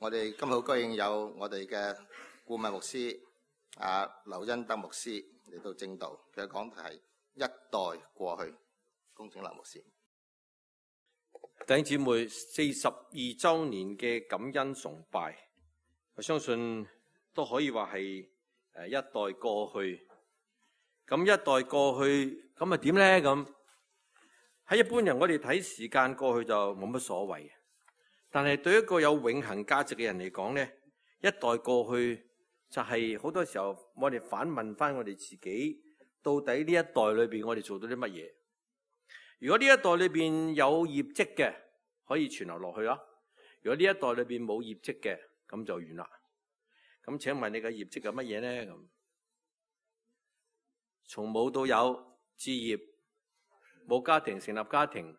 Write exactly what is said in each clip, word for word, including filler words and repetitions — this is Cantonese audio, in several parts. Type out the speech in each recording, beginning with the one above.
我哋今日好高興有我哋嘅顧問牧師啊劉恩德牧師嚟到正道，佢嘅講題係一代過去。恭請劉牧師。弟兄姊妹，四十二周年嘅感恩崇拜，我相信都可以話係誒一代過去。咁一代過去，咁啊點咧？咁喺一般人，我哋睇時間過去就冇乜所謂。但係對一個有永恆價值嘅人嚟講咧，一代過去就係好多時候我哋反問翻我哋自己，到底呢一代裏邊我哋做到啲乜嘢？如果呢一代裏邊有業績嘅，可以傳流落去啦；如果呢一代裏邊冇業績嘅，咁就完啦。咁請問你嘅業績係乜嘢咧？咁從冇到有置業，冇家庭成立家庭，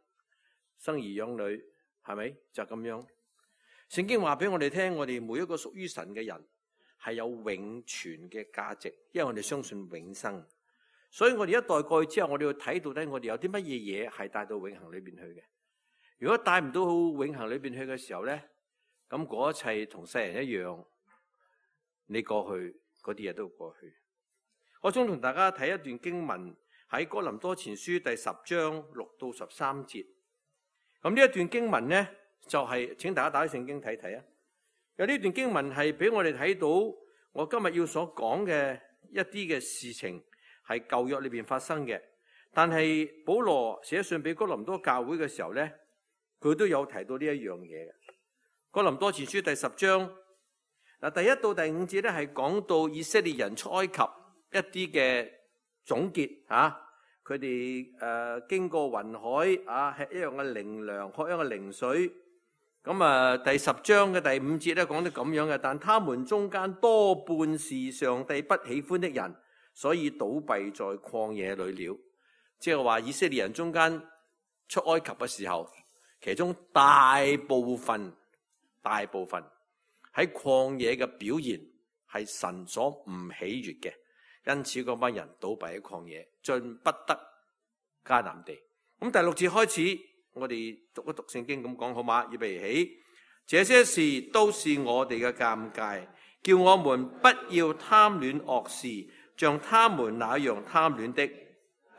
生兒養女。係咪就咁樣？聖經話俾我哋聽，我哋每一個屬於神嘅人係有永存嘅價值，因為我哋相信永生。所以我哋一代過去之後，我哋要睇到底我哋有啲乜嘢嘢係帶到永恆裏邊去嘅。如果帶唔到永恆裏邊去嘅時候咧，咁嗰一切同世人一樣，你過去嗰啲嘢都會過去。我想同大家睇一段經文，喺哥林多前書第十章六到十三節。咁呢一段經文咧，就係、是、請大家打開聖經睇睇啊。有呢段經文係俾我哋睇到，我今日要所講嘅一啲嘅事情係舊約裏邊發生嘅。但係保羅寫信俾哥林多教會嘅時候咧，佢都有提到呢一樣嘢嘅。哥林多前書第十章嗱，第一到第五節咧係講到以色列人出埃及一啲嘅總結啊。佢哋誒經過雲海啊，吃一樣嘅靈糧，喝一樣嘅靈水。咁啊，第十章嘅第五節咧講得咁樣嘅，但他們中間多半是上帝不喜歡的人，所以倒閉在曠野裏了。即係話以色列人中間出埃及嘅時候，其中大部分大部分喺曠野嘅表現係神所唔喜悅嘅。因此嗰班人倒閉喺曠野，進不得迦南地。咁第六節開始，我哋讀一讀聖經咁講好嗎？預備起，這些事都是我哋嘅鑑戒，叫我們不要貪戀惡事，像他們那樣貪戀的；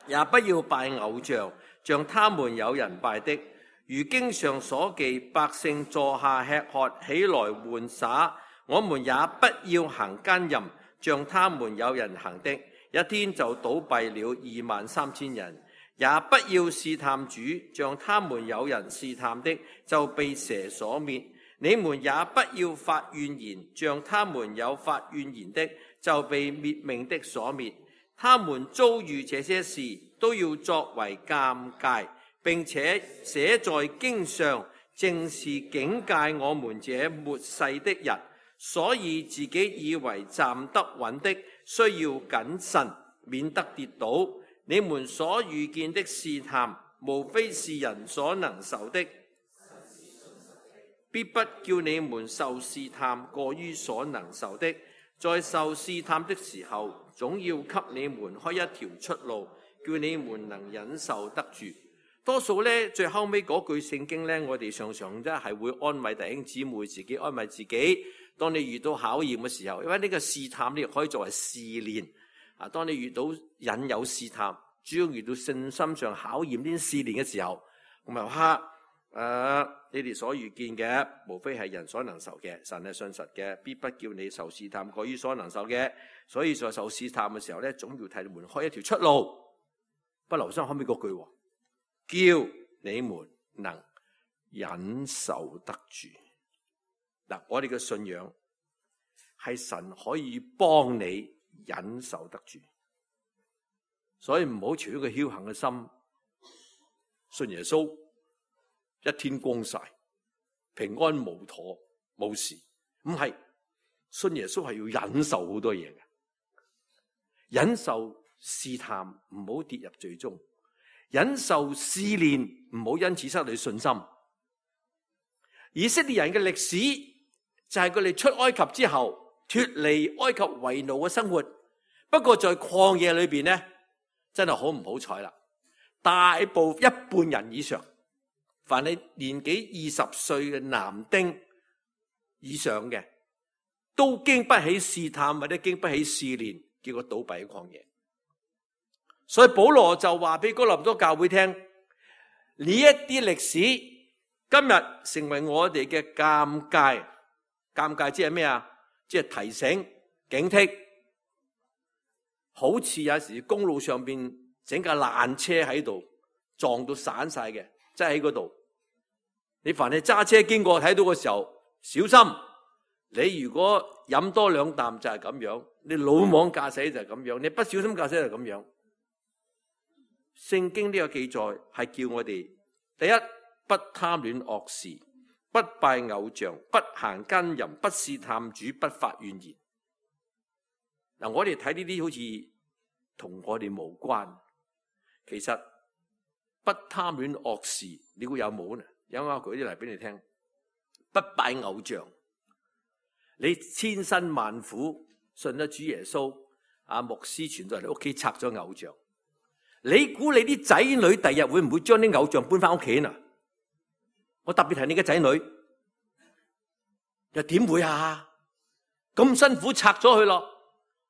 也不要拜偶像，像他們有人拜的。如經上所記，百姓坐下吃喝，起來玩耍，我們也不要行奸淫，像他們有人行的，一天就倒閉了二萬三千人；也不要試探主，像他們有人試探的，就被蛇所滅。你們也不要發怨言，像他們有發怨言的，就被滅命的所滅。他們遭遇這些事，都要作為鑑戒，並且寫在經上，正是警戒我們這末世的人。所以自己以為站得穩的，需要謹慎，免得跌倒。你們所遇見的試探，無非是人所能受的，必不叫你們受試探過於所能受的。在受試探的時候，總要給你們開一條出路，叫你們能忍受得住。多數咧，最後尾嗰句聖經咧，我哋常常真係會安慰弟兄姊妹，自己安慰自己。當你遇到考驗嘅時候，因為呢個試探呢可以作為試煉啊。當你遇到引誘試探，主要遇到信心上考驗呢啲試煉嘅時候，咁啊哈誒，你哋所遇見嘅，無非係人所能受嘅，神係信實嘅，必不叫你受試探過於所能受嘅。所以在受試探嘅時候咧，總要替你們開一條出路。不留心後尾嗰句，叫你們能忍受得住。嗱，我哋嘅信仰係神可以幫你忍受得住，所以唔好存一個僥倖嘅心，信耶穌一天光晒，平安無妥冇事。唔係，信耶穌係要忍受好多嘢嘅，忍受試探，唔好跌入罪中；忍受試煉，唔好因此失去信心。以色列人嘅歷史就係佢哋出埃及之後脫離埃及為奴嘅生活，不過在曠野裏邊咧，真係好唔好彩啦！大部一半人以上，凡係年紀二十歲嘅男丁，以上嘅，都經不起試探或者經不起試煉，結果倒閉喺曠野。所以保羅就話俾哥林多教會聽，呢一啲歷史今日成為我哋嘅鑑戒。鑑戒即係咩啊？即係提醒、警惕。好似有時公路上邊整架爛車喺度，撞到散晒嘅，即係喺嗰度。你凡係揸車經過睇到嘅時候，小心。你如果飲多兩啖就係咁樣，你魯莽駕駛就係咁樣，你不小心駕駛就係咁樣。聖經呢個記載係叫我哋第一，不貪戀惡事，不拜偶像，不行奸淫，不試探主，不發怨言。嗱，我哋睇呢啲好似同我哋無關，其實不貪戀惡事，你估有冇呢？有冇舉啲嚟俾你聽？不拜偶像，你千辛萬苦信咗主耶穌，阿牧師傳到嚟你屋企拆咗偶像，你估你啲仔女第日會唔會將啲偶像搬翻屋企呢？我特別係你嘅仔女，又點會啊？咁辛苦拆咗佢咯，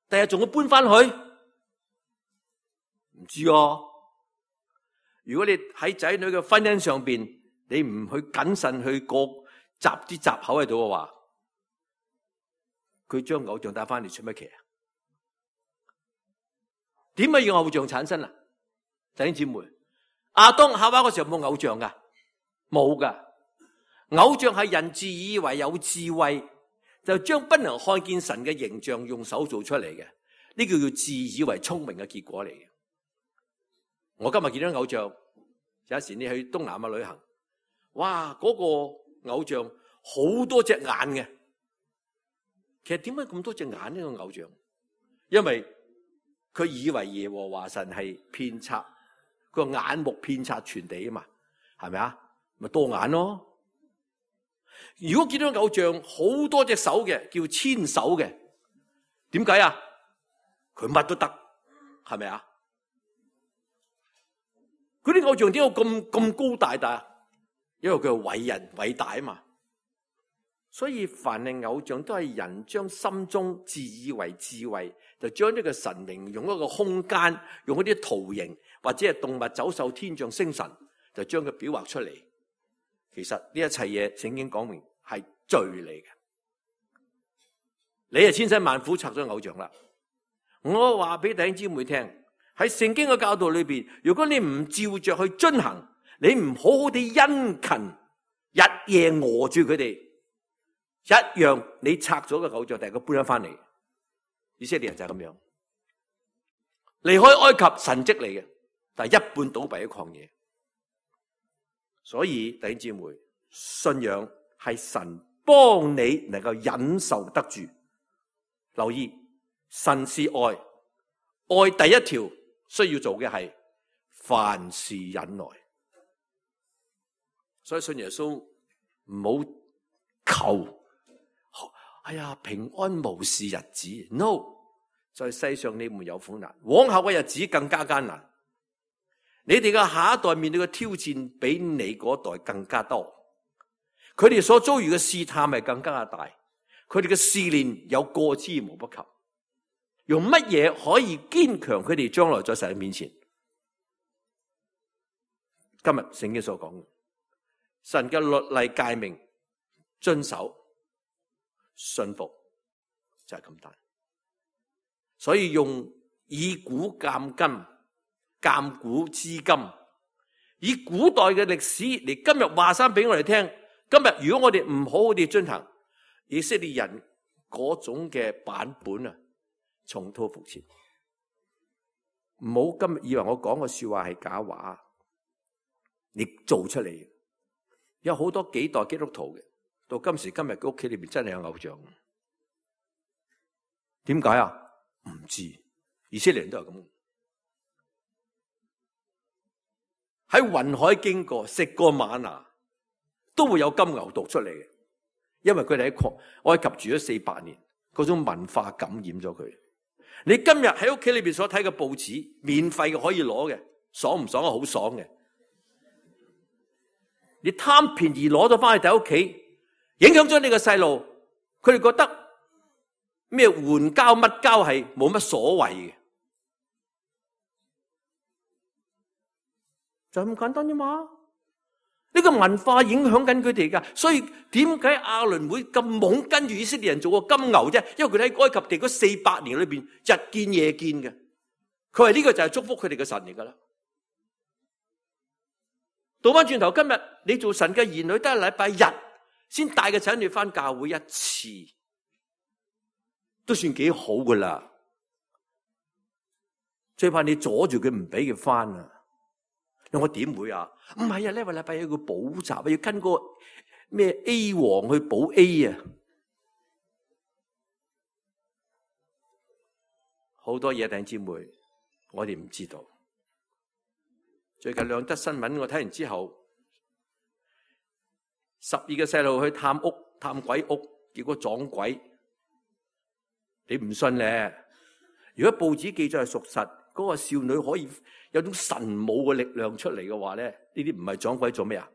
第日仲會搬翻去？唔知啊。如果你喺仔女嘅婚姻上邊，你唔去謹慎去過閘啲閘口喺度嘅話，佢將偶像帶翻嚟出乜奇啊？點解要偶像產生啊？弟兄姊妹，亞當夏娃嗰時候冇偶像噶，冇噶。偶像係人自以為有智慧，就將不能看見神嘅形象用手做出嚟嘅，呢個叫自以為聰明嘅結果嚟嘅。我今日見到偶像，有時你去東南亞旅行，哇，嗰個偶像好多隻眼嘅。其實點解咁多隻眼呢個偶像？因為佢以為耶和華神係遍察，佢個眼目遍察全地啊嘛，係咪啊？咪多眼咯。如果見到偶像好多隻手嘅，叫千手嘅，點解啊？佢乜都得，係咪啊？嗰啲偶像點解咁咁高大大？因為佢係偉人偉大啊嘛。所以凡係偶像都係人將心中自以為智慧，就將呢個神明用一個空間，用一啲圖形或者係動物、走獸、天象、星神，就將佢表畫出嚟。其實呢一切嘢聖經講明係罪嚟嘅。你係千辛萬苦拆咗偶像啦。我話俾弟兄姊妹聽，喺聖經嘅教導裏邊，如果你唔照着去遵行，你唔好好地殷勤日夜餓住佢哋，一樣你拆咗個偶像，第二個搬咗翻嚟。以色列人就係咁樣，離開埃及神蹟嚟嘅，但係一半倒閉喺曠野。所以弟兄姊妹，信仰係神幫你能夠忍受得住。留意，神是愛，愛第一條需要做嘅係凡事忍耐。所以信耶穌唔好求，哎呀平安無事日子 ，no， 在世上你們有苦難，往後嘅日子更加艱難。你哋嘅下一代面對嘅挑戰比你嗰代更加多，佢哋所遭遇嘅試探係更加大，佢哋嘅試煉有過之無不及。用乜嘢可以堅強佢哋將來在神面前？今日聖經所講，神嘅律例誡命遵守信服就係咁大。所以用以古鑑今。鑑古知今，以古代嘅歷史嚟今日話翻俾我哋聽。今日如果我哋唔好好地遵行，以色列人嗰種嘅版本啊，重蹈覆轍。唔好今日以為我講嘅說話係假話，你做出嚟。有好多幾代基督徒嘅，到今時今日嘅屋企裏邊真係有偶像。點解啊？唔知，以色列人都係咁。喺雲海經過，食過瑪拿，都會有金牛犢出嚟嘅，因為佢哋喺埃及住咗四百年，嗰種文化感染咗佢。你今日喺屋企裏邊所睇嘅報紙，免費嘅可以攞嘅，爽唔爽啊？好爽嘅。你貪便宜攞咗翻去睇屋企，影響咗你個細路，佢哋覺得咩援交乜交係冇乜所謂嘅，就咁簡單啫嘛。呢個文化影響緊佢哋噶，所以點解亞倫會咁懵跟住以色列人做個金牛啫？因為佢哋喺埃及地嗰四百年裏邊日見夜見嘅，佢話呢個就係祝福佢哋嘅神嚟噶啦。倒翻轉頭，今日你做神嘅兒女，得係禮拜日先帶個仔女翻教會一次，都算幾好噶啦。最怕你阻住佢唔俾佢翻啊！我點會啊？唔係啊，呢個禮拜有個補習啊，要跟個咩 A 王去補 A 啊，好多嘢弟兄姊妹，我哋唔知道。最近兩則新聞我睇完之後，十二個細路去探屋探鬼屋，結果撞鬼。你唔信咧？如果報紙記載係屬實，嗰個少女可以有種神武嘅力量出嚟嘅話咧，呢啲唔係撞鬼做咩啊？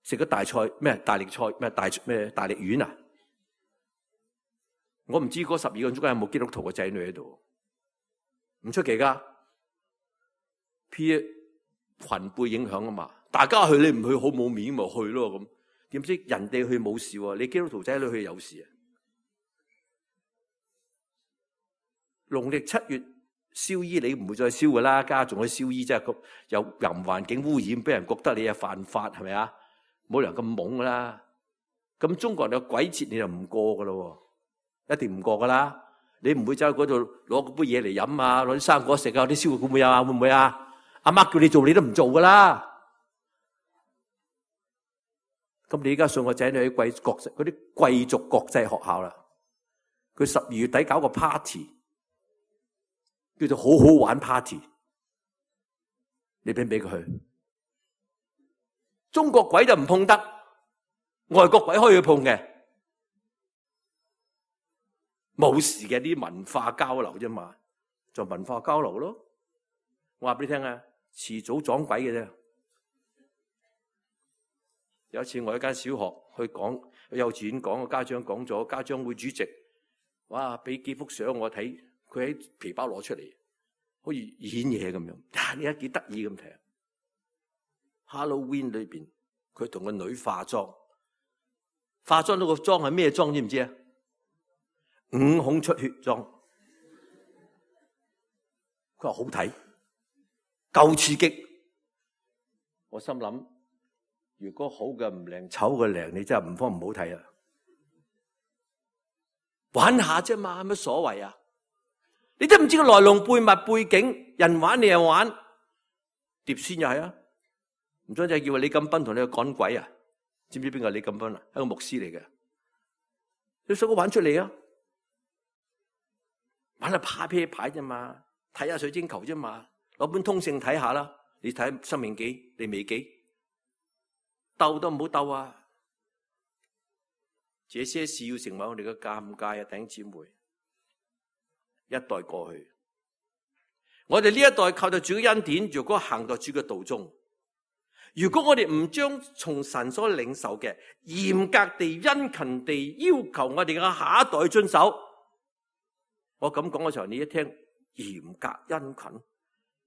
食咗大菜咩？大力菜咩？大咩？大力丸啊？我唔知嗰十二個中間有冇基督徒嘅仔女喺度，唔出奇噶。P 群輩影響啊嘛，大家去你唔去好冇面咪去咯咁。點知人哋去冇事喎，你基督徒仔女去有事啊？農曆七月燒衣你唔會再燒噶啦，家仲去燒衣即係有淫環境污染，俾人覺得你係犯法係咪啊？冇理由咁懵噶啦。咁中國人有鬼節你就唔過噶咯，一定唔過噶啦。你唔會走去嗰度攞杯嘢嚟飲啊，攞啲生果食啊，啲燒肉會唔會啊？會唔會啊？阿媽叫你做你都唔做噶啦。咁你而家送個仔女去貴國嗰啲貴族國際學校啦，佢十二月底搞個 party。叫做好好玩 party， 你俾唔俾佢去？中國鬼就唔碰得，外國鬼可以去碰嘅，冇事嘅，啲文化交流啫嘛，就文化交流咯。我話俾你聽啊，遲早撞鬼嘅啫。有一次我喺間小學去講，幼稚園講，個家長講咗，家長會主席，哇，俾幾幅相我睇。佢喺皮包攞出嚟，好似演嘢咁樣。啊，你睇幾得意咁睇。Halloween 裏邊，佢同個女化妝，化妝到個妝係咩妝？知唔知啊？五孔出血妝。佢話好睇，夠刺激。我心諗，如果好嘅唔靚，醜嘅靚，你真係唔方唔好睇啊！玩下啫嘛，有乜所謂啊？你都唔知個來龍背脈背景，人玩你又玩，碟仙又係啊！唔通就係叫李錦斌同你去趕鬼啊？知唔知邊個係李錦斌啊？係個牧師嚟嘅，你想我玩出嚟啊？玩下怕啤牌啫嘛，睇下水晶球啫嘛，攞本通勝睇下啦。你睇《申命記》、《利未記》，鬥都唔好鬥啊！這些事要成為我哋嘅尷尬啊，弟兄姊妹。一代過去，我哋呢一代靠着主嘅恩典，如果行到主嘅道中，如果我哋唔將從神所領受嘅嚴格地、殷勤地要求我哋嘅下一代遵守，我咁講嘅時候，你一聽嚴格殷勤，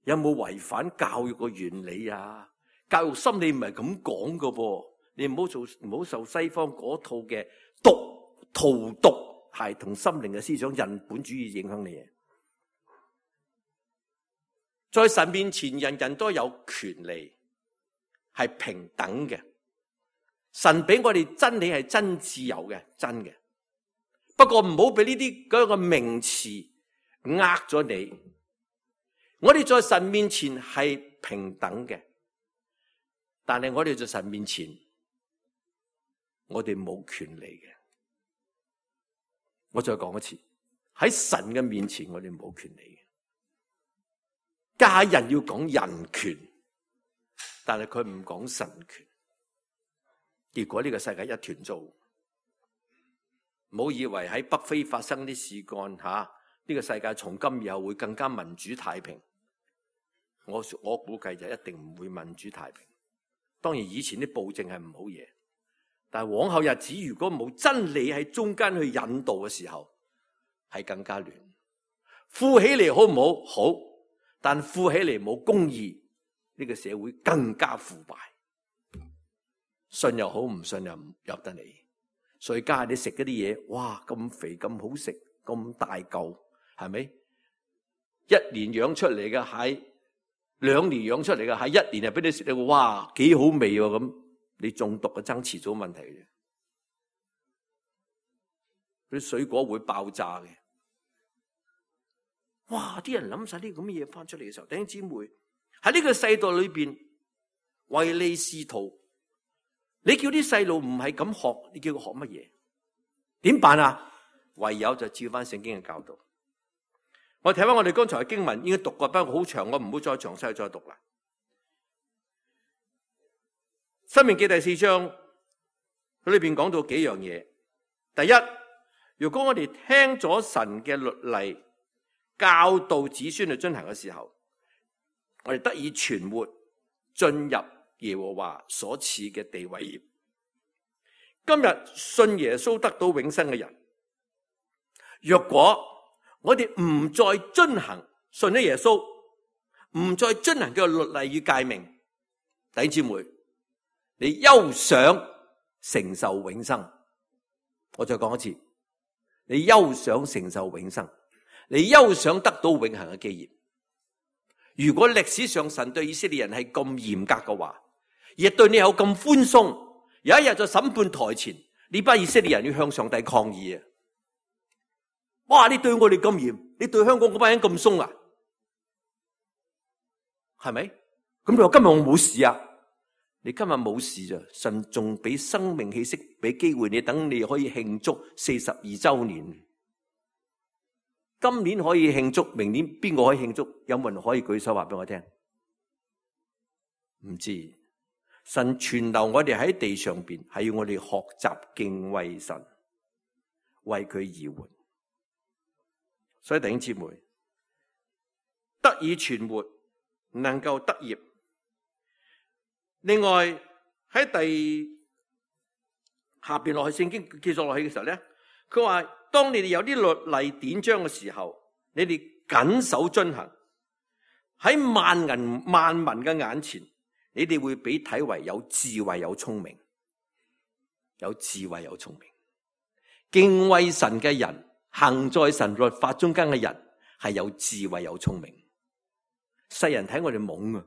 有冇違反教育嘅原理啊？教育心理唔係咁講㗎噃，你唔好做，唔好受西方嗰套嘅毒荼毒。係同心靈嘅思想人本主義影響你嘅，在神面前人人都有權利，係平等嘅。神俾我哋真理係真自由嘅，真嘅。不過唔好俾呢啲嗰個名詞呃咗你。我哋在神面前係平等嘅，但係我哋在神面前，我哋冇權利嘅。我再講一次，喺神嘅面前，我哋冇權利嘅。家人要講人權，但係佢唔講神權，結果呢個世界一團糟。唔好以為喺北非發生啲事幹吓，呢、這個世界從今以後會更加民主太平。我我估計就一定唔會民主太平。當然以前啲暴政係唔好嘢，但係往後日子如果冇真理喺中間去引導嘅時候，係更加亂。富起嚟好唔好？好，但富起嚟冇公義，呢個社會更加腐敗。信又好，唔信又唔入得嚟。所以家下你食嗰啲嘢，哇咁肥咁好食，咁大嚿，係咪？一年養出嚟嘅蟹，兩年養出嚟嘅蟹，一年就俾你食到，哇幾好味喎咁。你中毒嘅爭遲早問題嘅，啲水果會爆炸嘅。哇！啲人諗晒啲咁嘅嘢翻出嚟嘅時候，弟兄姊妹喺呢個世代裏邊唯利是圖，你叫啲細路唔係咁學，你叫佢學乜嘢？點辦啊？唯有就照翻聖經嘅教導。我睇翻我哋剛才嘅經文，已經讀過，不過好長，我唔好再詳細再讀啦。申命記第四章，佢裏邊講到幾樣嘢。第一，如果我哋聽咗神嘅律例，教導子孫去遵行嘅時候，我哋得以存活，進入耶和華所賜嘅地位業。今日信耶穌得到永生嘅人，若果我哋唔再遵行信咗耶穌，唔再遵行佢嘅律例與誡命，弟兄姊妹，你休想承受永生。我再講一次，你休想承受永生，你休想得到永恆嘅基業。如果歷史上神對以色列人係咁嚴格嘅話，亦對你有咁寬鬆，有一日在審判台前，呢班以色列人要向上帝抗議啊！哇！你對我哋咁嚴，你對香港嗰班人咁鬆啊？係咪？咁你話今日我冇事啊？你今日冇事咋？神仲俾生命氣息，俾機會你，等你可以慶祝四十二周年。今年可以慶祝，明年邊個可以慶祝？有冇人可以舉手話俾我聽？唔知。神存留我哋喺地上邊，係要我哋學習敬畏神，為佢而活。所以弟兄姊妹，得以存活，能夠得業。另外喺第下邊落去聖經記載落去嘅時候咧，佢話當你哋有啲律例典章嘅時候，你哋謹守遵行，喺萬人萬民嘅眼前，你哋會被睇為有智慧有聰明，有智慧有聰明。敬畏神嘅人，行在神律法中間嘅人，係有智慧有聰明。世人睇我哋懵啊！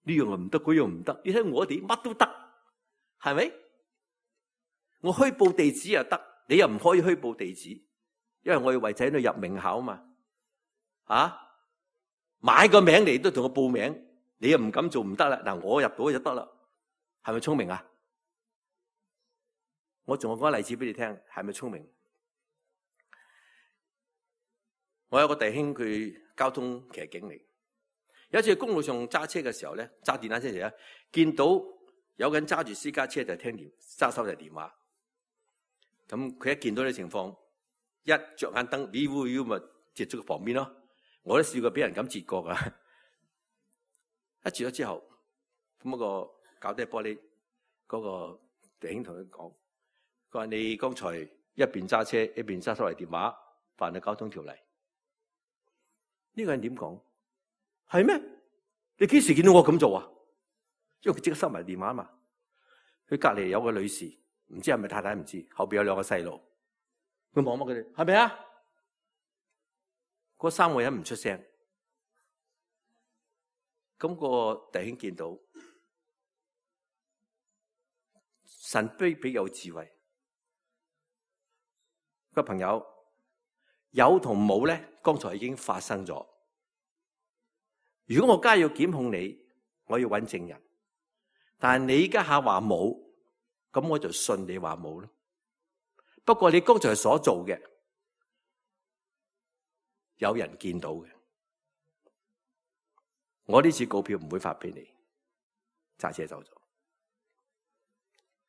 呢樣又唔得，嗰樣唔得。你睇我哋乜都得，係咪？我虛報地址又得，你又唔可以虛報地址，因為我要為仔女入名校嘛。啊，買個名嚟都同我報名，你又唔敢做唔得啦。嗱，我入到就得啦，係咪聰明啊？我仲有講個例子俾你聽，係咪聰明？我有個弟兄，佢交通騎警嚟。有一次喺公路上揸車嘅時候咧，揸電單車時咧，見到有個人揸住私家車就聽電揸手提電話。咁佢一見到呢情況，一着眼燈，咦喎咦咪截咗佢旁邊咯。我都試過俾人咁截過噶。一截咗之後，咁、那、嗰個搞低玻璃嗰、那個弟兄同佢講：佢話你剛才一邊揸車一邊揸手提電話，犯咗交通條例。呢、這個人點講？係咩？你幾時見到我咁做啊？因為佢即刻收埋電話嘛。佢隔籬有個女士，唔知係咪太太，唔知後邊有兩個細路。佢望望佢哋，係咪啊？嗰三個人唔出聲。咁、個弟兄見到神卑鄙有智慧。個朋友有同冇咧，剛才已經發生咗。如果我家要檢控你，我要揾證人，但係你家下話冇，咁我就信你話冇咯。不過你剛才所做嘅，有人見到嘅，我呢次告票唔會發俾你，揸車走咗。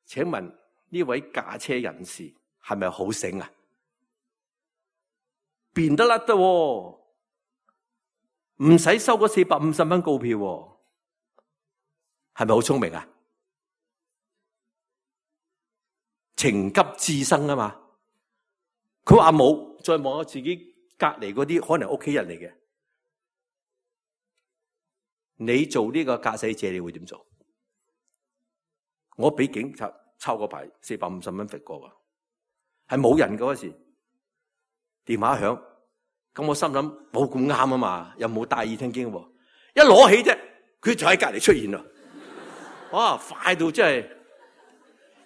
請問呢位駕車人士係咪好醒啊？變得甩得喎。唔使收嗰四百五十蚊告票，係咪好聰明啊？情急智生啊嘛。佢話冇，再望下自己隔籬嗰啲可能屋企人嚟嘅。你做呢個駕駛者，你會點做？我俾警察抄個牌四百五十蚊罰過噶，係冇人嗰時，電話響，咁我心諗冇咁啱啊嘛，又冇戴耳聽經，一攞起啫，佢就喺隔籬出現啦。哇，快到真係，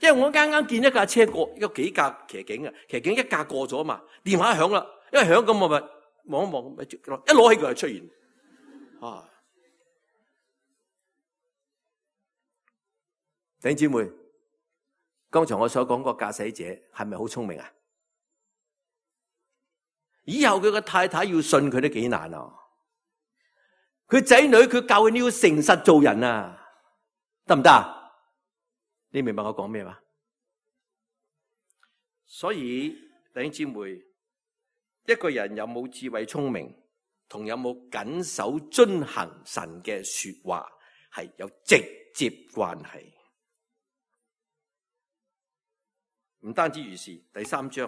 因為我啱啱見一架車過，有幾架騎警啊，騎警一架過咗嘛，電話響啦，因為響咁我咪望一望，一攞起佢就出現，啊！弟兄姊妹，剛才我所講個駕駛者係咪好聰明啊？以後佢個太太要信佢都幾難啊！佢仔女佢教佢你要誠實做人啊，得唔得啊？你明白我講咩嘛？所以弟兄姊妹，一個人有冇智慧聰明，同有冇謹守遵行神嘅說話係有直接關係。唔單止如是，第三章，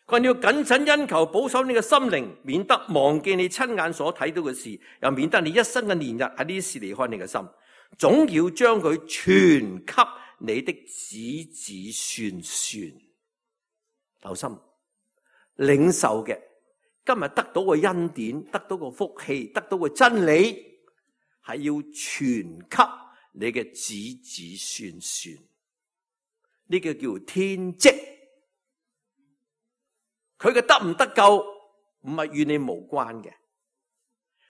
佢話你要謹慎殷求，保守你嘅心靈，免得忘記你親眼所睇到嘅事，又免得你一生嘅年日喺呢啲事離開你嘅心，總要將佢傳給你的子子孫孫。留心，領受嘅今日得到個恩典，得到個福氣，得到個真理，係要傳給你嘅子子孫孫。呢個叫天職，佢嘅得唔得救唔係與你無關嘅，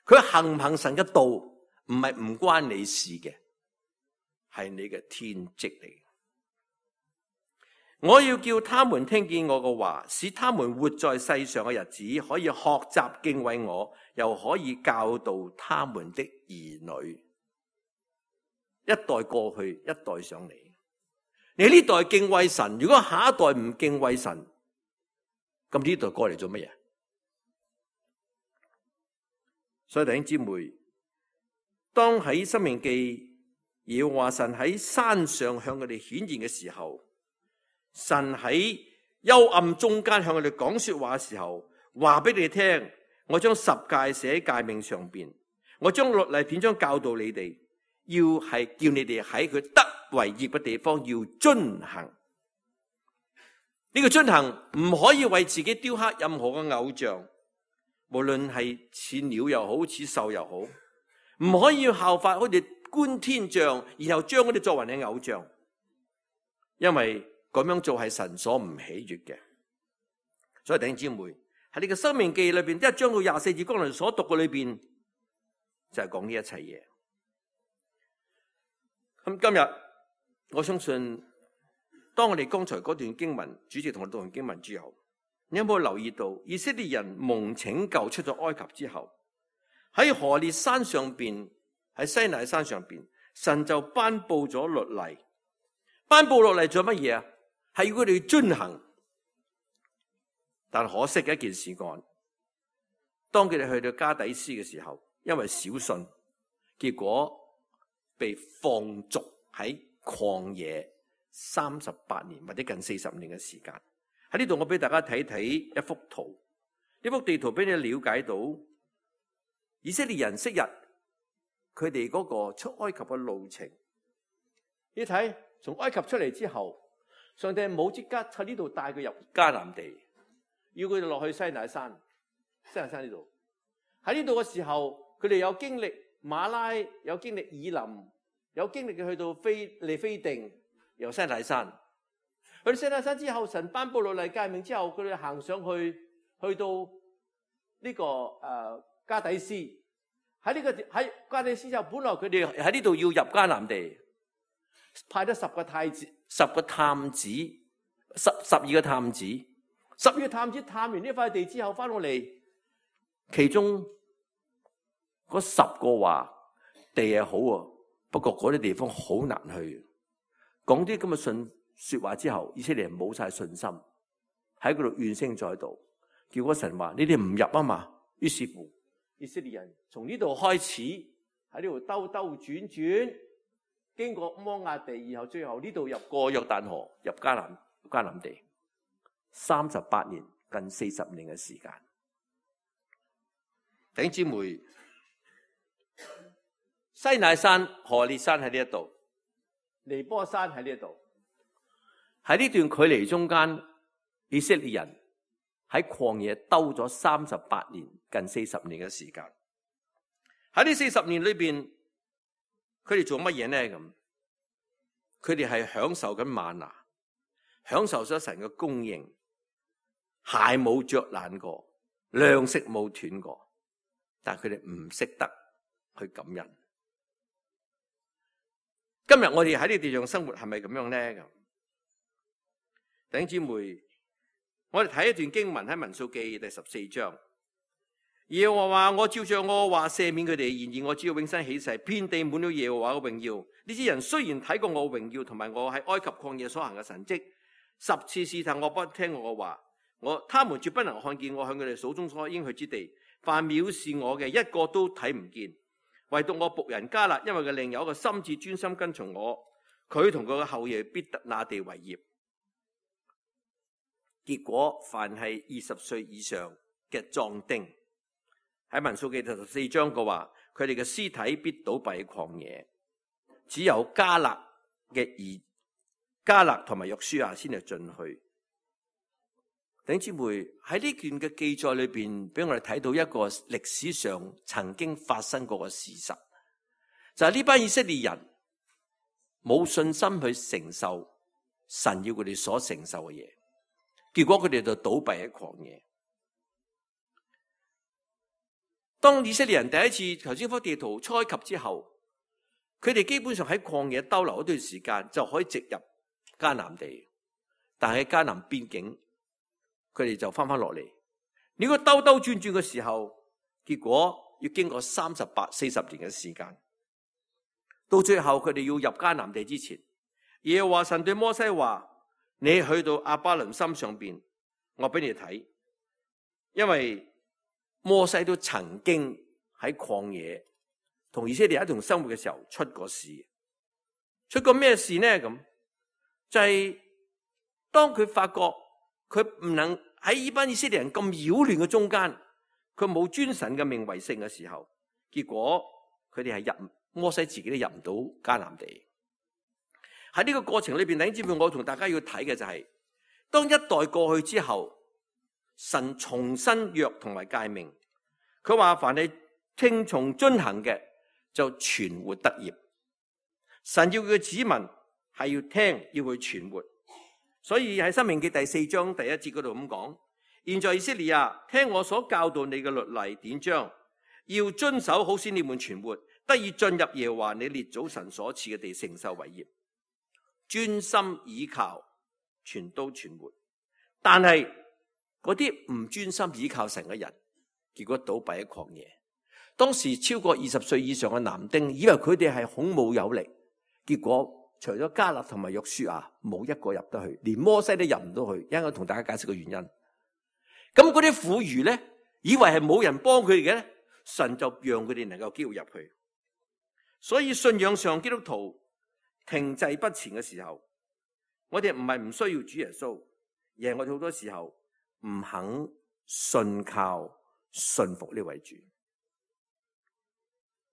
佢行唔行神嘅道唔係唔關你事嘅，係你嘅天職嚟。我要叫他們聽見我嘅話，使他們活在世上嘅日子可以學習敬畏我，又可以教導他們的兒女。一代過去，一代上嚟。你呢代敬畏神，如果下一代唔敬畏神，咁呢代過嚟做乜嘢？所以弟兄姊妹，當喺申命記耶和華神喺山上向佢哋顯現嘅時候，神喺幽暗中間向佢哋講說話嘅時候，話俾你哋聽，我將十誡寫喺誡命上邊，我將律例典章教導你哋，要係叫你哋喺佢得為業嘅地方要遵行。呢個遵行唔可以為自己雕刻任何嘅偶像，無論係似鳥又好，似獸又好，唔可以效法好似觀天象，然後將佢哋作為你偶像，因為咁樣做係神所唔喜悅嘅。所以弟兄姊妹，喺呢個申命記裏邊，一章到廿四節剛才所讀嘅裏邊，就係講呢一切嘢。咁今日我相信，當我哋剛才嗰段經文，主席同我讀完經文之後，你有冇留意到以色列人蒙拯救出咗埃及之後，喺何烈山上邊，喺西乃山上邊，神就頒布咗律例。頒布落嚟做乜嘢啊？係要佢哋遵行。但可惜嘅一件事幹，當佢哋去到加底斯嘅時候，因為小信，結果被放逐喺曠野三十八年或者近四十年嘅時間。喺呢度我俾大家睇睇一幅圖，呢幅地圖俾你了解到以色列人昔日佢哋嗰個出埃及嘅路程。你睇從埃及出嚟之後，上帝冇即刻喺呢度帶佢入迦南地，要佢哋落去西乃山，西乃山呢度。喺呢度嘅時候，佢哋有經歷馬拉，有經歷以林，有經歷嘅去到非利非定，由西乃山。去到西乃山之後，神頒布律例誡命之後，佢哋行上去，去到呢、這個誒、呃、加底斯。喺呢、這個喺加底斯之後，本來佢哋喺呢度要入迦南地，派咗十個太子、十個探子、十十二個探子，十二個探子探完呢塊地之後，翻到嚟，其中嗰十個話地係好啊，不過嗰啲地方好難去。講啲咁嘅信說話之後，以色列人冇晒信心，喺嗰度怨聲載道，結果神話你哋唔入啊嘛。於是乎，以色列人從呢度開始喺呢度兜兜轉轉，經過摩押地，然後最後呢度入過約旦河，入迦南迦南地，三十八年，近四十年嘅時間。弟兄姊妹，西乃山、何烈山喺呢一度，尼波山喺呢一度。喺呢段距離中間，以色列人喺曠野兜咗三十八年，近四十年嘅時間。喺呢四十年裏邊，佢哋做乜嘢呢？咁佢哋係享受緊嗎哪，享受咗神嘅供應，鞋冇着爛過，糧食冇斷過，但係佢哋唔識得去感恩。今日我哋喺呢地上生活係咪咁樣呢？咁弟兄姊妹，我哋睇一段經文喺民數記第十四章。耶和華話：我照着我話赦免佢哋，然而我只要永生起誓，遍地滿了耶和華嘅榮耀。呢啲人雖然睇過我榮耀，同埋我喺埃及曠野所行嘅神蹟，十次試探我不聽我嘅話，我他們絕不能看見我向佢哋手中所應許之地。凡藐視我嘅，一個都睇唔見。唯獨我僕人迦勒，因為佢另有一個心志專心跟從我，佢同佢嘅後裔必得那地為業。結果凡係二十歲以上嘅壯丁，喺民數記第十四章嘅話，佢哋嘅屍體必倒斃喺曠野，只有迦勒嘅兒迦勒同埋約書亞先係進去。弟兄姊妹，喺呢段嘅記載裏邊，俾我哋睇到一個歷史上曾經發生過嘅事實，就係呢班以色列人冇信心去承受神要佢哋所承受嘅嘢，結果佢哋就倒斃喺曠野。當以色列人第一次頭先幅地圖出埃及之後，佢哋基本上喺曠野逗留一段時間就可以直入迦南地，但係喺迦南邊境，佢哋就翻翻落嚟。如果兜兜轉轉嘅時候，結果要經過三十八、四十年嘅時間，到最後佢哋要入迦南地之前，耶和華神對摩西話：你去到亞巴倫山上邊，我俾你睇，因為摩西都曾經喺曠野同以色列一同生活嘅時候出過事。出過咩事呢？咁就係、是、當佢發覺佢唔能喺呢班以色列人咁擾亂嘅中間，佢冇尊神嘅名為聖嘅時候，結果佢哋係入摩西自己都入唔到迦南地。喺呢個過程裏邊，弟兄姊妹，我同大家要睇嘅就係、是，當一代過去之後，神重新約同埋誡命，佢話凡係聽從遵行嘅就存活得業。神要佢嘅子民係要聽，要去存活。所以喺申命記第四章第一節嗰度咁講：現在以色列啊，聽我所教導你嘅律例典章，要遵守，好使你們存活，得以進入耶和華你列祖神所賜嘅地，承受為業。專心倚靠，全都存活。但係嗰啲唔專心倚靠神嘅人，結果倒斃喺曠野。當時超過二十歲以上嘅男丁，以為佢哋係孔武有力，結果除咗迦勒同埋約書亞，冇一個入得去，連摩西都入唔到去。一陣我同大家解釋個原因。咁嗰啲婦孺咧，以為係冇人幫佢哋嘅咧，神就讓佢哋能夠機會入去。所以信仰上基督徒停滯不前嘅時候，我哋唔係唔需要主耶穌，而係我哋好多時候唔肯信靠信服呢位主，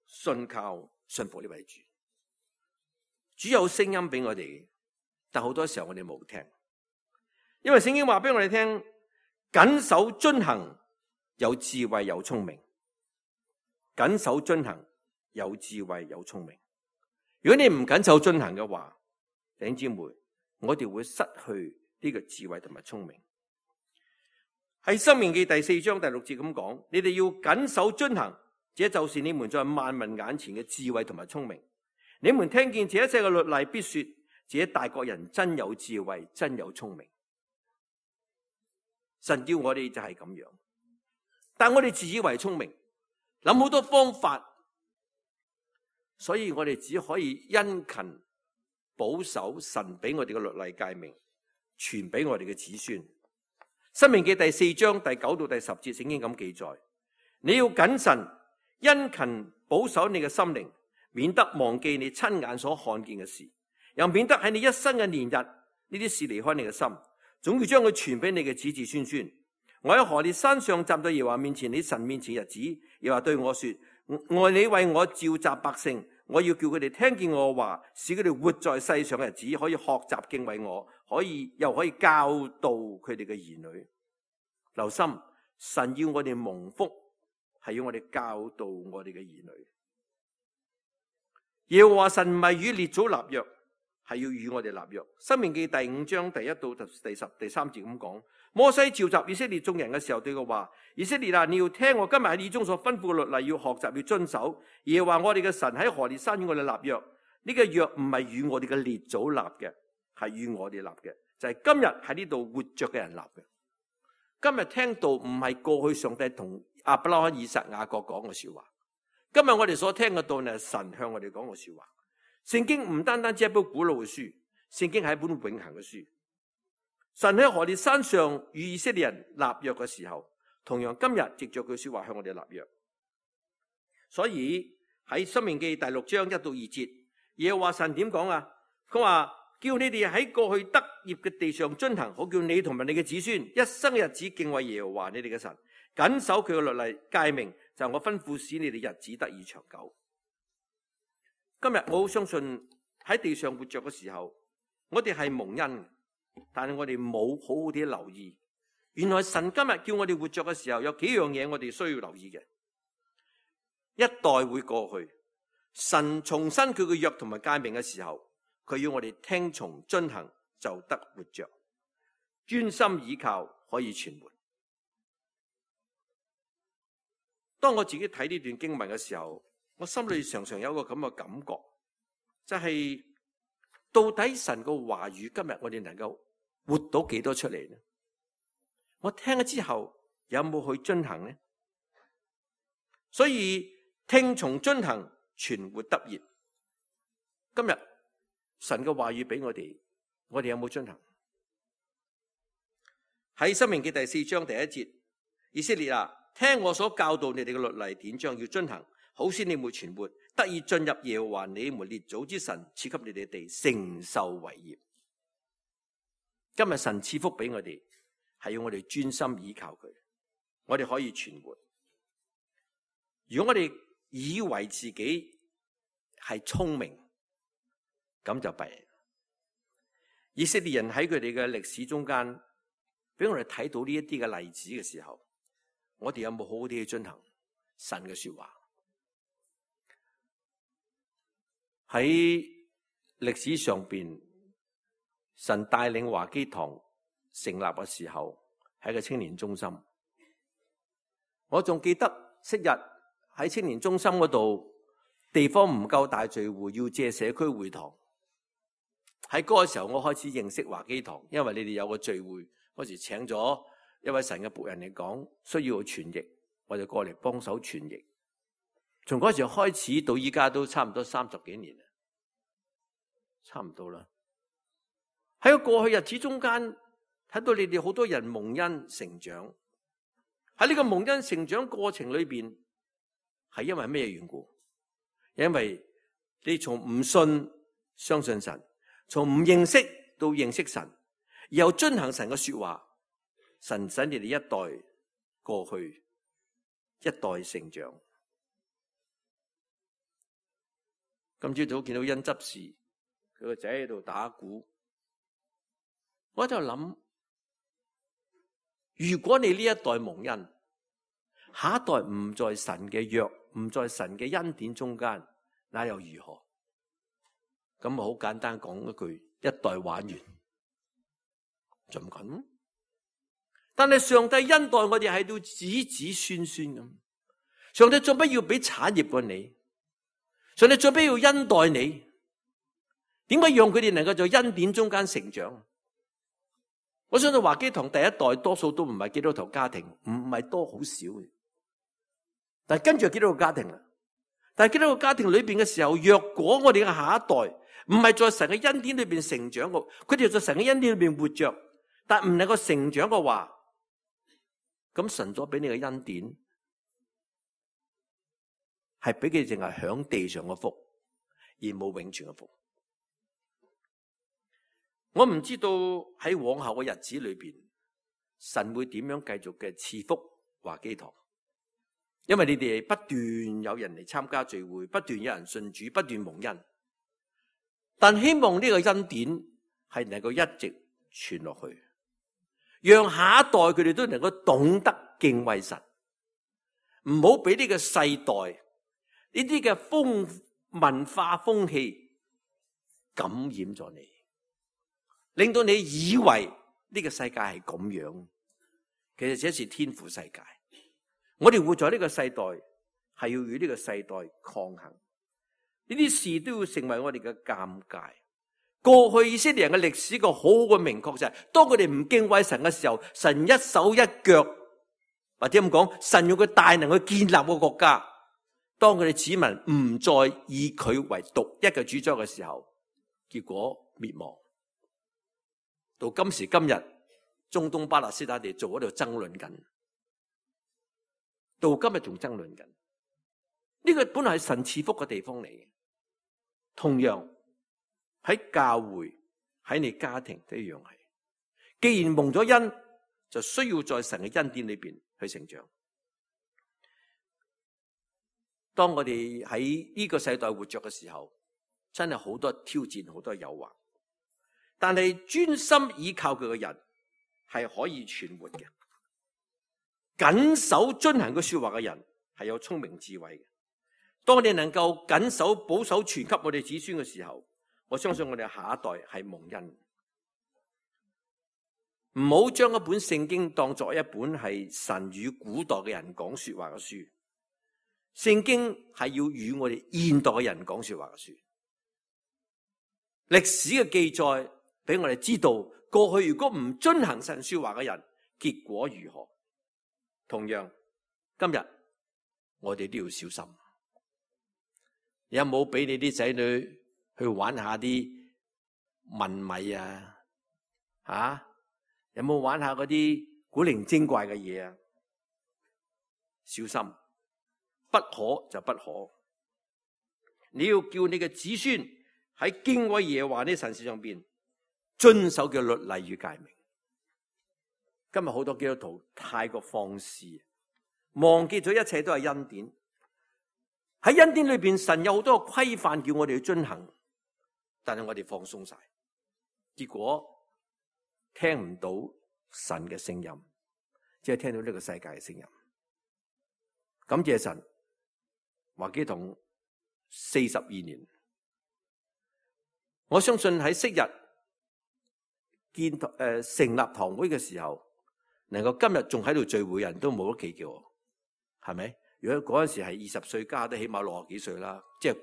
信靠信服呢位主。主有聲音俾我哋，但好多時候我哋冇聽，因為聖經話俾我哋聽，謹守遵行有智慧有聰明，謹守遵行有智慧有聰明。如果你唔謹守遵行嘅話，弟兄姊妹，我哋會失去呢個智慧同埋聰明。喺申命記第四章第六節咁講，你哋要謹守遵行，這就是你們在萬民眼前嘅智慧同埋聰明。你們聽見這一切嘅律例，必說：這大國人真有智慧，真有聰明。神要我哋就係咁樣，但我哋自以為聰明，諗好多方法。所以我哋只可以殷勤保守神俾我哋嘅律例誡命，傳俾我哋嘅子孫。申命記第四章第九到第十節聖經咁記載：你要謹慎殷勤保守你嘅心靈，免得忘記你親眼所看見嘅事，又免得喺你一生嘅年日呢啲事離開你嘅心，總要將佢傳俾你嘅子子孫孫。我喺何烈山上站在耶和華面前，你神面前日子，耶和華對我說：愛你為我召集百姓，我要叫佢哋聽見我嘅話，使佢哋活在世上嘅日子，可以學習敬畏我，可以又可以教導佢哋嘅兒女。留心，神要我哋蒙福，係要我哋教導我哋嘅兒女。耶和華神唔係與列祖立約，係要與我哋立約。申命記第五章第一到第十第三節咁講。摩西召集以色列眾人嘅時候，對佢話：以色列啊，你要聽我今日喺你中所吩咐嘅律例，要學習，要遵守。耶和華我哋嘅神喺何烈山與我哋立約，呢、這個約唔係與我哋嘅列祖立嘅，係與我哋立嘅，就係、是、今日喺呢度活着嘅人立嘅。今日聽到唔係過去上帝同亞伯拉罕、以撒、雅各講嘅說話，今日我哋所聽嘅道係神向我哋講嘅說話。聖經唔單單只係一本古老嘅書，聖經係一本永恆嘅書。神喺何烈山上與以色列人立約嘅時候，同樣今日藉着佢說話向我哋立約。所以喺申命記第六章一到二節，耶和華神點講啊？佢話叫你哋喺過去得業嘅地上遵行，好叫你同埋你嘅子孫一生嘅日子敬畏耶和華你哋嘅神，謹守佢嘅律例誡命，就係我吩咐使你哋日子得以長久。今日我好相信喺地上活着嘅時候，我哋係蒙恩，但係我哋冇好好啲留意，原來神今日叫我哋活着嘅時候，有幾樣嘢我哋需要留意嘅。一代會過去，神重申佢嘅約同埋誡命嘅時候，佢要我哋聽從遵行，就得活着，專心倚靠可以存活。當我自己睇呢段經文嘅時候，我心裏常常有一個咁嘅感覺，就係、是、到底神個話語今日我哋能夠活到幾多出嚟呢？我聽咗之後有冇去遵行呢？所以聽從遵行，存活得業。今日神嘅話語俾我哋，我哋有冇遵行？喺申命記第四章第一節，以色列啊，聽我所教導你哋嘅律例典章，要遵行，好使你們存活，得以進入耶和華你們列祖之神賜給你哋地，承受為業。今日神賜福俾我哋，係要我哋專心倚靠佢，我哋可以存活。如果我哋以為自己係聰明，咁就弊。以色列人喺佢哋嘅歷史中間，俾我哋睇到呢一啲嘅例子嘅時候，我哋有冇好好啲去遵行神嘅說話？喺歷史上邊，神帶領華基堂成立嘅時候，係一個青年中心。我仲記得昔日喺青年中心嗰度，地方唔夠大聚會，要借社區會堂。喺嗰個時候，我開始認識華基堂，因為你哋有個聚會，嗰時請咗一位神嘅僕人嚟講，需要傳譯，我就過嚟幫手傳譯。從嗰時候開始到依家都差唔多三十幾年啦，差唔多啦。喺個過去日子中間，睇到你哋好多人蒙恩成長。喺呢個蒙恩成長過程裏邊，係因為咩緣故？因為你從唔信相信神，從唔認識到認識神，然後遵行神嘅說話，神使你哋一代過去，一代成長。今朝早見到恩執事，佢個仔喺度打鼓，我喺度諗，如果你呢一代蒙恩，下一代唔在神嘅約，唔在神嘅恩典中間，那又如何？咁啊，好簡單講一句，一代玩完就唔緊。但係上帝恩待我哋係到子子孫孫咁，上帝做乜要俾產業過你？上帝做乜要恩待你？點解讓佢哋能夠在恩典中間成長？我相信華基堂第一代多數都唔係基督徒家庭，唔係多，好少嘅。但係跟住基督徒家庭啦，但係基督徒家庭裏邊嘅時候，若果我哋嘅下一代唔係在神嘅恩典裏邊成長嘅，佢哋在神嘅恩典裏邊活着，但唔能夠成長嘅話，咁神所俾你嘅恩典係俾佢淨係享地上嘅福，而冇永存嘅福。我唔知道喺往後嘅日子裏邊，神會點樣繼續嘅賜福華基堂，因為你哋不斷有人嚟參加聚會，不斷有人信主，不斷蒙恩。但希望呢個恩典係能夠一直傳落去，讓下一代佢哋都能夠懂得敬畏神，唔好俾呢個世代呢啲嘅風文化風氣感染咗你，令到你以為呢個世界係咁樣。其實這是天父世界，我哋活在呢個世代係要與呢個世代抗衡。呢啲事都要成為我哋嘅鑑戒。過去以色列人嘅歷史個好好嘅明確就係，當佢哋唔敬畏神嘅時候，神一手一腳，或者咁講，神用佢大能去建立個國家。當佢哋子民唔再以佢為獨一嘅主宰嘅時候，結果滅亡。到今時今日，中東巴勒斯坦地做喺度爭論緊，到今日仲爭論緊。呢個本來係神賜福嘅地方嚟嘅，同樣喺教會，喺你家庭都一樣係。既然蒙咗恩，就需要在神嘅恩典裏邊去成長。當我哋喺呢個世代活着嘅時候，真係好多挑戰，好多誘惑。但係專心倚靠佢嘅人係可以存活嘅，謹守遵行佢說話嘅人係有聰明智慧嘅。當我哋能夠謹守保守傳給我哋子孫嘅時候，我相信我哋下一代係蒙恩。唔好將一本聖經當作一本係神與古代嘅人講說話嘅書，聖經係要與我哋現代嘅人講說話嘅書。歷史嘅記載俾我哋知道，過去如果唔遵行神說話嘅人，結果如何？同樣，今日我哋都要小心。你有冇俾你啲仔女去玩下啲問米啊？吓、啊？有冇玩下嗰啲古靈精怪嘅嘢啊？小心，不可就不可。你要叫你嘅子孫喺敬畏耶和華呢神事上邊遵守嘅律例與誡命。今日好多基督徒太過放肆，忘記咗一切都係恩典。喺恩典裏邊，神有好多規範叫我哋去遵行，但係我哋放鬆晒，結果聽唔到神嘅聲音，只係聽到呢個世界嘅聲音。感謝神，華基堂四十二年，我相信喺昔日建誒、呃、成立堂會嘅時候，能夠今日仲喺度聚會，人都冇得企叫我，係咪？如果嗰陣時係二十歲加，都起碼六十幾歲啦，即係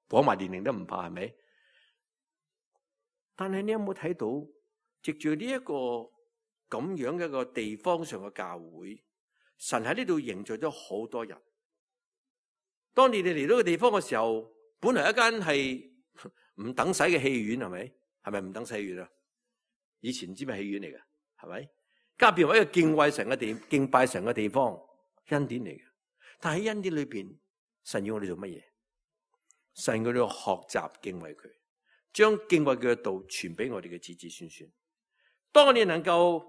講埋年齡都唔怕，係咪？但係你有冇睇到，藉住呢一個咁樣嘅一個地方上嘅教會，神喺呢度凝聚咗好多人。當你哋嚟到個地方嘅時候，本來一間係唔等使嘅戲院，係咪？係咪唔等使戲院啊？以前唔知咩戲院嚟嘅，係咪？加變為一個敬畏神嘅地、敬拜神嘅地方，恩典嚟嘅。但喺恩典裏邊，神要我哋做乜嘢？神要我哋學習敬畏佢，將敬畏佢嘅道傳俾我哋嘅子子孫孫。當我哋能夠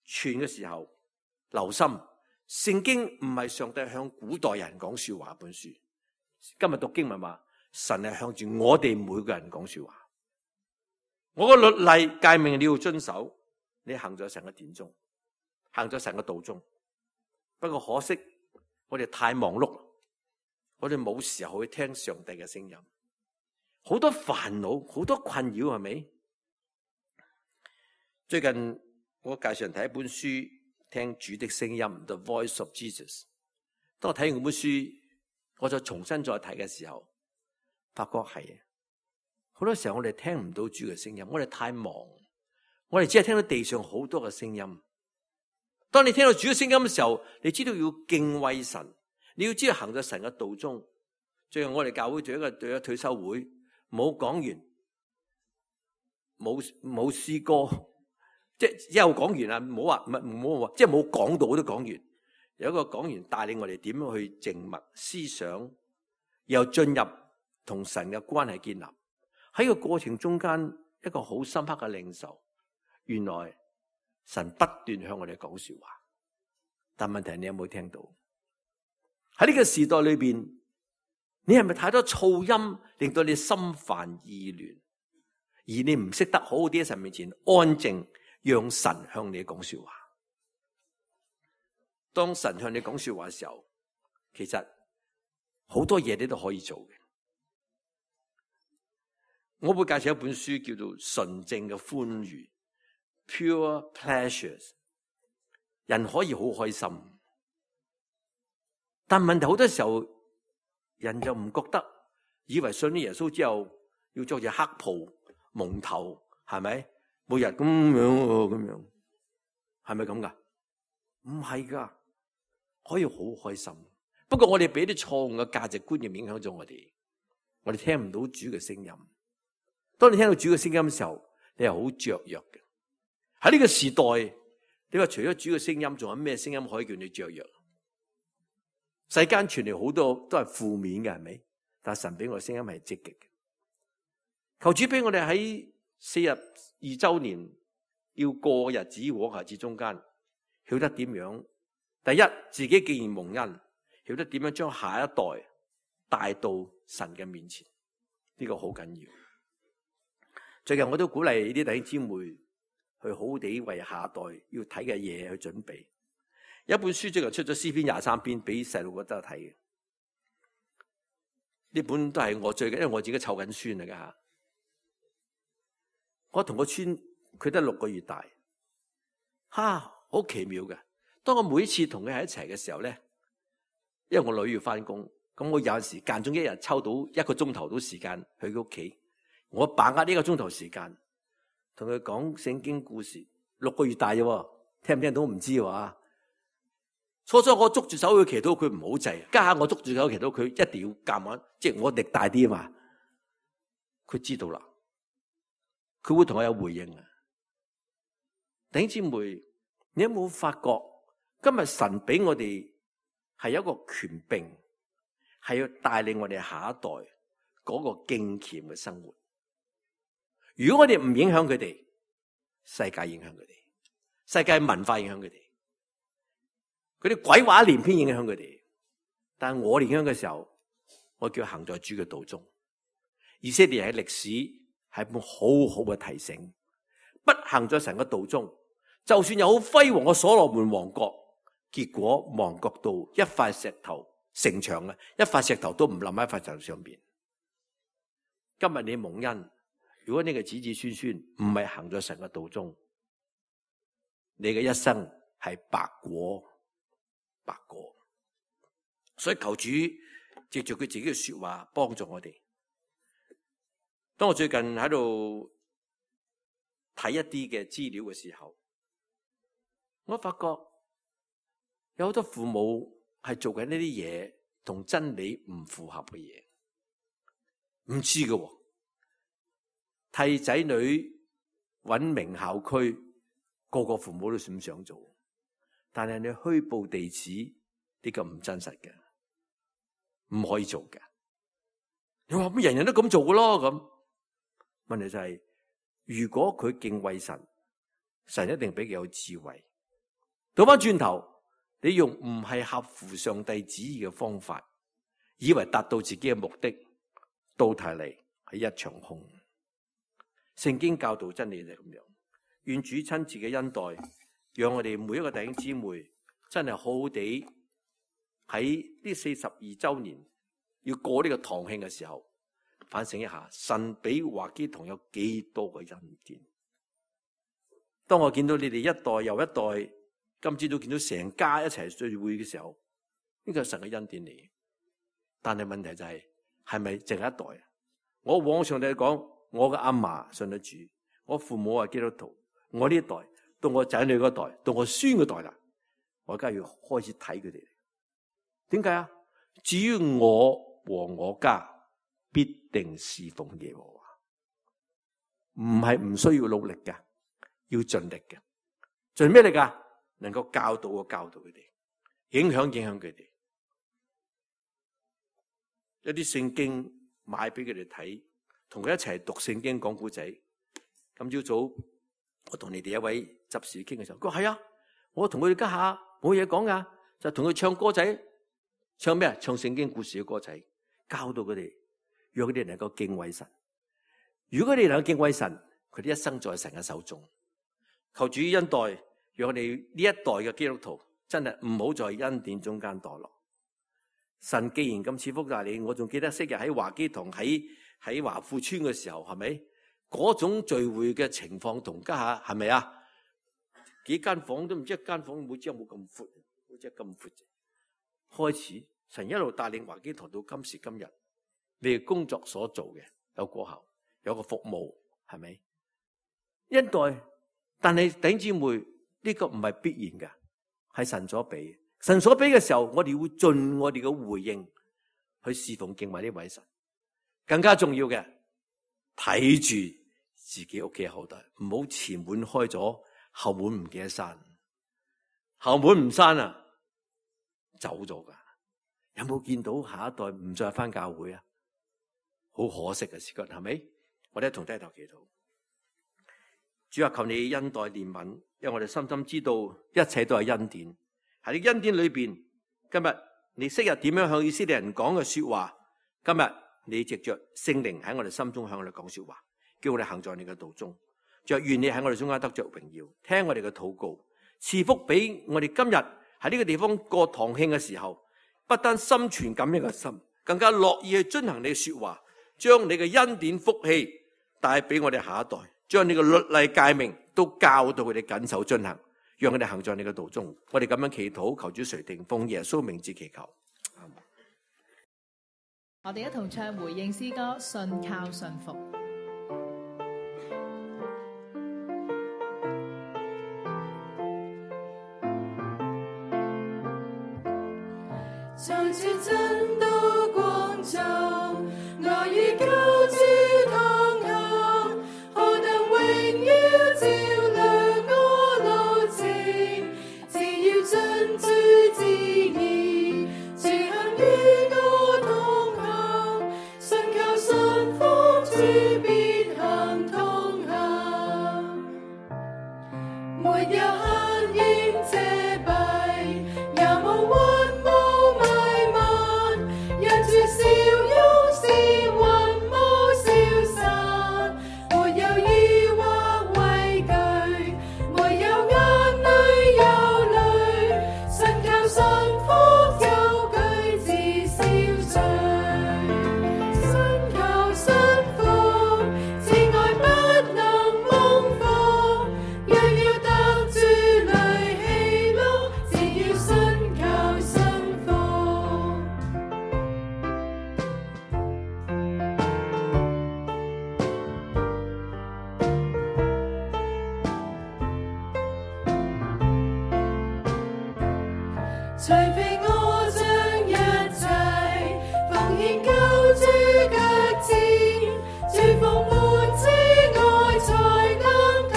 傳嘅時候，留心聖經唔係上帝向古代人講說話本書。今日讀經文話，神係向住我哋每個人講說話。我個律例誡命你要遵守，你行咗神嘅典中，行咗神嘅道中。不過可惜，我哋太忙碌，我哋冇時候去聽上帝嘅聲音，好多煩惱，好多困擾，係咪？最近我介紹人睇一本書，聽主的聲音 The Voice of Jesus。當我睇完嗰本書，我就重新再睇嘅時候，發覺係好多時候我哋聽唔到主嘅聲音，我哋太忙，我哋只係聽到地上好多嘅聲音。當你聽到主嘅聲音嘅時候，你知道要敬畏神，你要知道行在神嘅道中。最後我哋教會做一個做一個退休會，冇講完，冇冇詩歌，即係又講完啦，唔好話唔係唔好話，即係冇講道都講完。有一個講員帶領我哋點樣去靜默思想，然後進入同神嘅關係建立。喺個過程中間，一個好深刻嘅領受，原來神不斷向我哋講說話，但問題係你有冇聽到？喺呢個時代裏邊，你係咪太多噪音，令到你心煩意亂，而你唔識得好好啲喺神面前安靜，讓神向你講說話？當神向你講說話嘅時候，其實好多嘢你都可以做嘅。我會介紹一本書叫做《純正嘅歡愉》 （Pure Pleasures）。人可以好開心，但問題好多時候，人就唔覺得，以為信咗耶穌之後要着住黑袍蒙頭，係咪？每日咁樣咁樣，係咪咁噶？唔係噶，可以好開心。不過我哋俾啲錯誤嘅價值觀念影響咗我哋，我哋聽唔到主嘅聲音。當你聽到主嘅聲音嘅時候，你係好雀躍嘅。喺呢個時代，你話除咗主嘅聲音，仲有咩聲音可以叫你雀躍？世間傳嚟好多都係負面嘅，係咪？但係神俾我嘅聲音係積極嘅。求主俾我哋喺四十二周年要過日子往日子中間，曉得點樣？第一，自己既然蒙恩，曉得點樣將下一代帶到神嘅面前，呢個好緊要。最近我都鼓勵啲弟兄姊妹去好好地為下一代要睇嘅嘢去準備。有一本書最近出咗詩篇廿三篇俾細路哥都睇嘅，呢本都係我最近，因為我自己湊緊孫嚟噶吓。我同個孫佢得六個月大，哈，好奇妙嘅。當我每次同佢喺一齊嘅時候咧，因為我女要翻工，咁我有陣時間中一日抽到一個鐘頭到時間去佢屋企。我把握呢個鐘頭時間，同佢講聖經故事。六個月大啫，聽唔聽到唔知喎。初初我捉住手去祈禱，佢唔好制。家下我捉住手祈禱，佢一定要夾硬，即係我力大啲啊嘛。佢知道啦，佢會同我有回應啊。弟兄姊妹，你有冇發覺今日神俾我哋係有一個權柄，係要帶領我哋下一代嗰個敬虔嘅生活？如果我哋唔影響佢哋，世界影響佢哋，世界文化影響佢哋，佢啲鬼話連篇影響佢哋。但係我哋影響嘅時候，我叫行在主嘅道中。以色列喺歷史係一本好好嘅提醒，不行在神嘅道中，就算有好輝煌嘅所羅門王國，結果亡國到一塊石頭城牆啊，一塊石頭都唔冧喺塊石頭上邊。今日你蒙恩，如果你嘅子子孫孫唔係行咗神嘅道中，你嘅一生係白過，白過。所以求主藉住佢自己嘅說話幫助我哋。當我最近喺度睇一啲嘅資料嘅時候，我發覺有好多父母係做緊呢啲嘢同真理唔符合嘅嘢，唔知嘅。替仔女揾名校區，個個父母都想想做，但係你虛報地址呢個唔真實嘅，唔可以做嘅。你話乜人人都咁做嘅咯？咁問題就係、是，如果佢敬畏神，神一定俾佢有智慧。倒翻轉頭，你用唔係合乎上帝旨意嘅方法，以為達到自己嘅目的，到頭嚟係一場空。聖經教導真理就係咁樣，願主親自嘅恩待，讓我哋每一個弟兄姊妹真係好好地喺呢四十二周年要過呢個堂慶嘅時候，反省一下神俾華基堂有幾多個恩典。當我見到你哋一代又一代，今朝都見到成家一齊聚會嘅時候，呢個係神嘅恩典嚟。但係問題就係，係咪淨係一代？我往上帝講。我嘅阿嫲信得主，我父母係基督徒，我呢一代到我仔女嗰代，到我孫嗰代啦，我而家要開始睇佢哋。點解啊？至於我和我家，必定侍奉耶和華。唔係唔需要努力嘅，要盡力嘅。盡咩力㗎？能夠教導我教導佢哋，影響影響佢哋。一啲聖經買俾佢哋睇，同佢一齊讀聖經講古仔。今朝早我同你哋一位執事傾嘅時候，佢話係啊，我同佢哋家下冇嘢講噶，就同佢唱歌仔，唱咩啊？唱聖經故事嘅歌仔，教到佢哋，讓佢哋能夠敬畏神。如果佢哋能夠敬畏神，佢哋一生在神嘅手中。求主恩待，讓我哋呢一代嘅基督徒真係唔好在恩典中間墮落。神既然咁賜福大你，我仲記得昔日喺華基堂喺喺華富村嘅時候，係咪嗰種聚會嘅情況同家下係咪啊？幾間房都唔知一間房每支有冇咁闊，好似咁闊。開始神一路帶領華基堂到今時今日，你哋工作所做嘅有果效，有個服務，係咪？恩待，但係弟兄姊妹呢個唔係必然嘅，係神所俾。神所俾嘅時候，我哋會盡我哋嘅回應去侍奉敬畏呢位神。更加重要嘅，睇住自己屋企嘅後代，唔好前門開咗，後門唔記得閂。後門唔閂啊，走咗噶。有冇見到下一代唔再返教會啊？好可惜嘅事情，係咪？我哋一同低頭祈禱。主啊，求你恩待憐憫，因為我哋深深知道一切都係恩典。喺你恩典裏邊，今日你昔日點樣向以色列人講嘅說話，今日你藉着聖靈喺我哋心中向我哋講說話，叫我哋行在你嘅道中。主啊，願你喺我哋中間得着榮耀，聽我哋嘅禱告，賜福俾我哋今日喺呢個地方過堂慶嘅時候，不單心存感恩嘅心，更加樂意去遵行你嘅說話，將你嘅恩典福氣帶俾我哋下一代，將你嘅律例誡命都教導佢哋謹守遵行，讓佢哋行在你嘅道中。我哋咁樣祈禱，求主垂聽，奉耶穌名字祈求。我哋一同唱回應詩歌《信靠信服》。在這真道光中，我與救主同行，何等榮耀照亮我路程。只要遵主旨意，主行與我同行，信靠信服主必行同行，沒有黑影遮蔽，也無雲霧迷漫，讓主笑容是雲霧消散，沒有疑惑畏懼，沒有眼淚憂慮，信靠信服就舉止消除，信靠信服，慈愛不能蒙福，若要得主裡喜樂，只要信靠信服。除非我將一切奉獻救主腳前，主豐滿慈愛才能體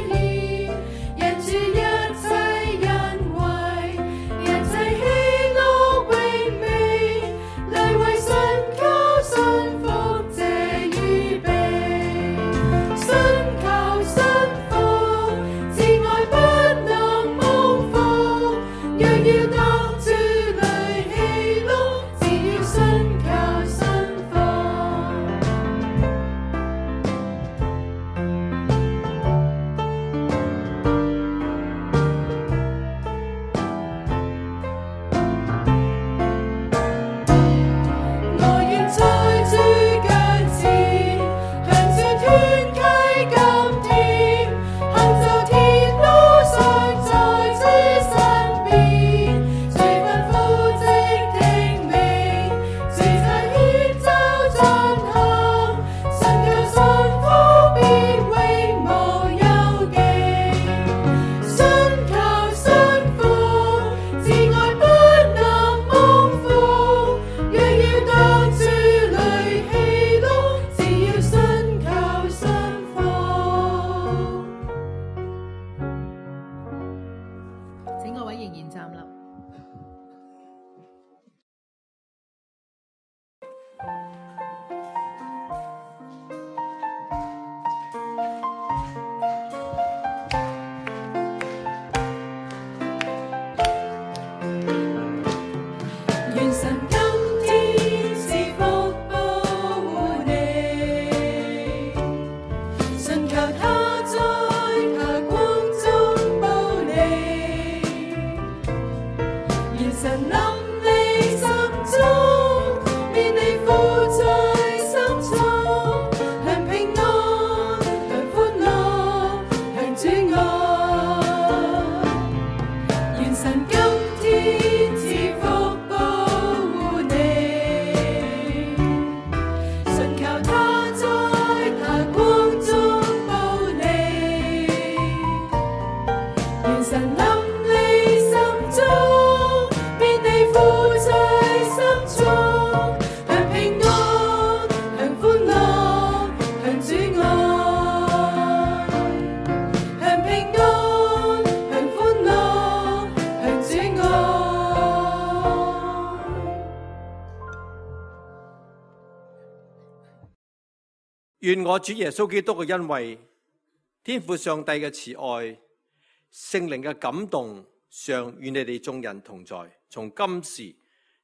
現，因主一切恩惠，一切喜樂榮美，來為信靠信服這預備，信靠信服，慈愛不能蒙福，若要得主裡喜樂，只要信靠信服。我願在主腳前，向主團契甘甜，行走天路上在主身邊，主吩咐即聽命，主差遣就進行，信靠信服必永無憂忌，信靠信服，慈愛不能蒙福，若要得主裡喜樂，只要信靠信服。請各位仍然站立。神臨你心中，便你父在心中，享平安，享歡樂，享主愛。願神今天賜福保護你，信靠他在他光中保你。願神臨你心中，便你父在心中，享平安，享歡樂，享主愛。享平安，享歡樂，享主愛。願我主耶穌基督嘅恩惠、天父上帝嘅慈愛、聖靈嘅感動，常與你哋眾人同在，從今時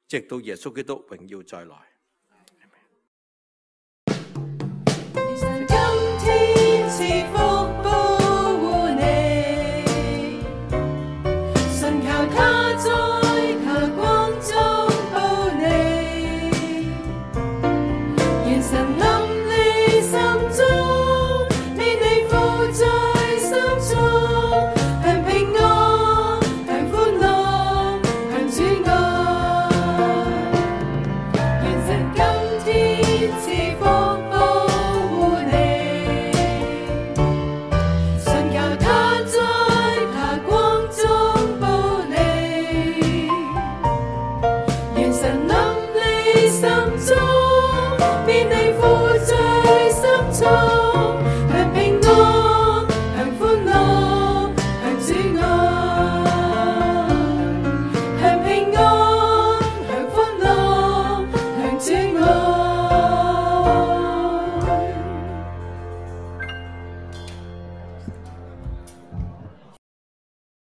直到耶穌基督榮耀再來。